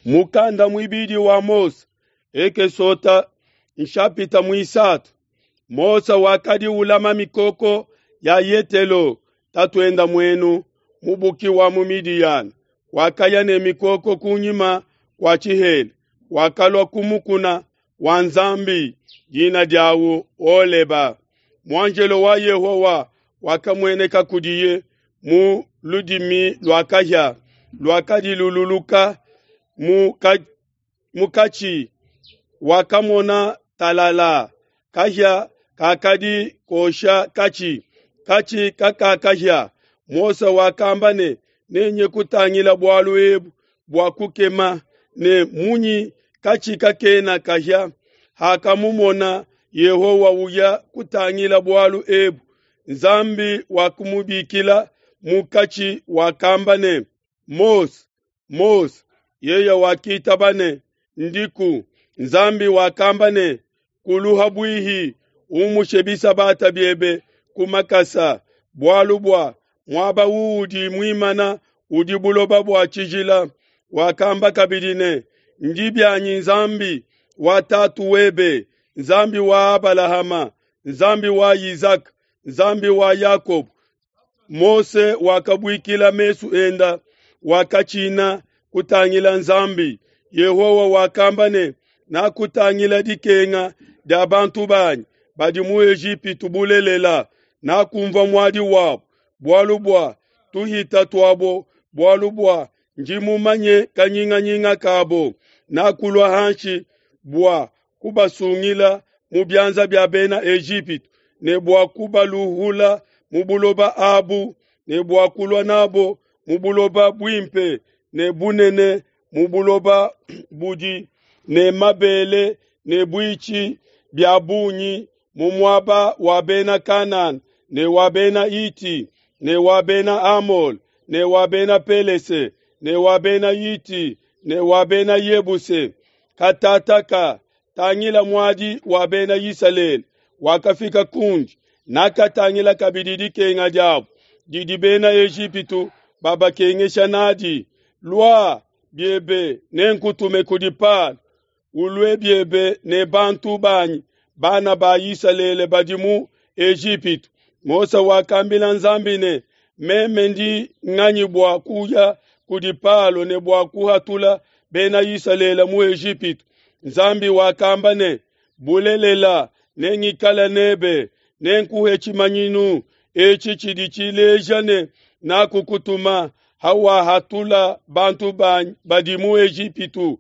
Mukanda muibidi wa Mose, Ekesota nshapita muisatu. Mose wakadi ulama mikoko ya Yetelo tatuenda muenu mubuki wa mu Midiyana. Wakaya ne mikoko kunyima kua tshihela, wakalua ku mukuna wa Nzambi, dina diawu Holeba. Muanjelo wa Yehowa wakamueneka kudiye mu ludimi lua kahia luakadi lululuka mu katshi. Wakamona talala kahia kakadi kosha katshi, katshi kakakahia. Mose wakamba ne, nenye kutangila bualu ebu bua kukema ne munyi katshi kakena kahia. Hakamumona Yehowa uya kutangila bualu ebu, Nzambi wakumubikila mu katshi, wakamba ne, Mose, Mose. Yeye wakitaba ne, Ndiku. Nzambi wakamba ne, Kuluha bwihi, umushe bisabata biebe ku makasa, bualu bua muaba uudi muimana udi buloba bua tshijila. Wakamba kabidi ne, Ndi bianyi Nzambi wa tatu webe, Nzambi wa Abalahama, Nzambi wa Isaka, Nzambi wa Yakobo. Mose wakabuikila mesu enda, wakatshina kutangila Nzambi. Yehowa wakamba ne, Nakutangila dikenga dia bantu banyi badi mu Ejipitu bulelela, nakumvua muadi wabo bualu bua tuhita tuabo, bualu bua ndi mumanye kanyinganyinga kabo. Nakulua hanshi bua kubasungila mu bianza bia bena Ejipitu ne bua kubaluhula mu buloba abu ne bua kulua nabo mu buloba buimpe ne bunene, mu buloba budi ne mabele ne buitshi bia bungi, mu muaba wa bena Kanana ne wa bena Hiti ne wa bena Amole ne wa bena Pelese ne wa bena Hiti ne wa bena Yebuse. Katataka tangila muadi wa bena Isalele wakafika kundi, nakatangila kabidi dikenga diabo didi bena Ejipitu babakengesha nadi. Lua biebe, nenkutume kudi Palo, ulue biebe ne bantu banyi bana ba Isalele badi mu Ejipitu. Mose wakambila Nzambi ne, meme ndi nganyi bua kuya kudi Palo ne bua kuhatula bena Isalele mu Ejipitu? Nzambi wakamba ne, bulelela nengikale nebe, nenkuhe tshimanyinu etshi tshidi tshileja ne nakukutuma. Hawahatula bantu banyi badi mu Ejipitu,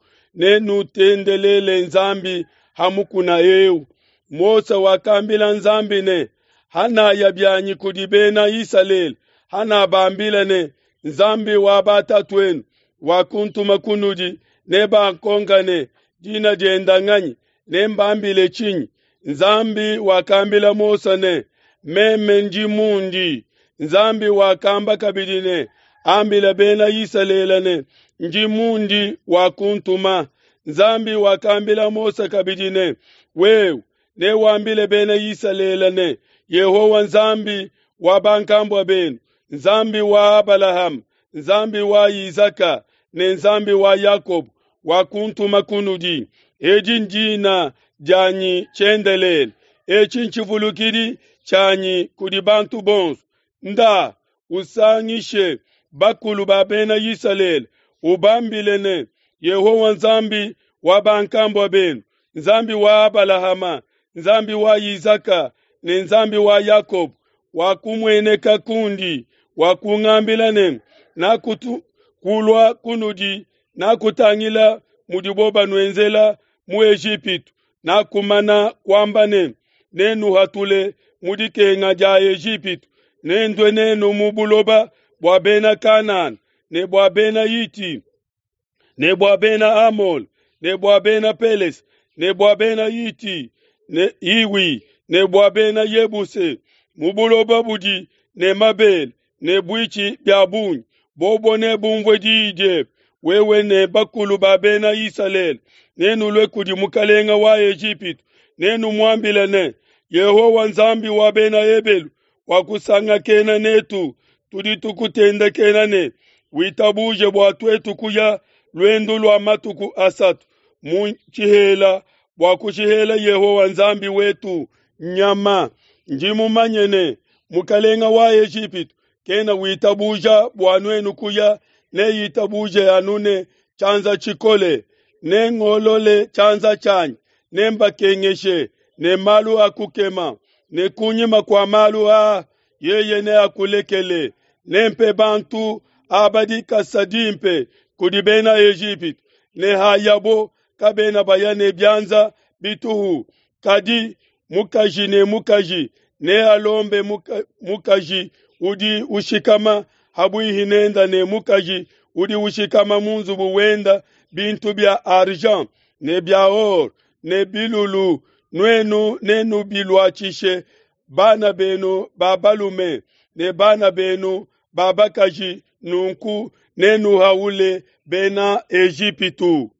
nenutendelele Nzambi ha mukuna eu. Mose wakambila Nzambi ne, hanaya bianyi kudi bena Isalele, hanabambila ne, Nzambi wa batatuenu wakuntuma kunudi, nebankonka ne, dina dienda nganyi? Nembambile tshinyi? Nzambi wakambila Mose ne, meme ndi mundi. Nzambi wakamba kabidi ne, ambila bena Isalele ne, ndi mundi wakuntuma. Nzambi wakambila Mose kabidi ne, wewe newambile bena Isalele ne, Yehowa Nzambi wa bankambua benu, Nzambi wa Abalahama, Nzambi wa Isaka ne Nzambi wa Yakobo wakuntuma kunudi. Edi ndina dianyi tshiendelele, etshi ntshivulukidi tshianyi kudi bantu bonso. Nda usangishe bakulu ba bena Isalele, ubambile ne, Yehowa Nzambi wa bankambua benu, Nzambi wa Abalahama, Nzambi wa Isaka ne Nzambi wa Yakobo wakumueneka kundi, wakungambila ne, nakukulua kunudi, nakutangila mudibo banuenzela mu Ejipitu, nakumana kuamba ne, nenuhatule mu dikenga dia Ejipitu, nendue nenu mu buloba bua bena Kanana ne bua bena Hiti ne bua bena Amole ne bua bena Pelese ne bua bena Hiti ne Hiwi ne bua bena Yebuse, mu buloba budi ne mabele ne buitshi bia bungi. Bobo nebumvue diyi diebe, wewe ne bakulu ba bena Isalele, nenulue kudi mukalenga wa Ejipitu, nenumuambile ne, Yehowa Nzambi wa bena Ebelu wakusangakena netu, tudi tukutendekena ne, witabuje bua tuetu kuya luendu lua matuku asatu mu tshihela bua kushihela Yehowa Nzambi wetu nyama. Ndi mumanye ne, mukalenga wa Ejipitu kena witabuja bua nuenu kuya, neitabuje anu ne tshianza tshikole. Nengolole tshianza tshianyi, nembakengeshe ne malu a kukema, ne kunyima kua malu aa yeye neakulekele. Nempe bantu aba dikasa dimpe kudi bena Ejipitu, ne hayabo kabena baya ne bianza bituhu. Kadi mukaji ne mukaji nealombe muka, mukaji udi ushikama habuihi nenda ne mukaji udi ushikama mu nzubu wenda bintu bia argent ne bia or ne bilulu, nuenu nenubiluatshishe bana benu ba balume ne bana benu ba bakaji, nunku nenuhaule bena Ejipitu.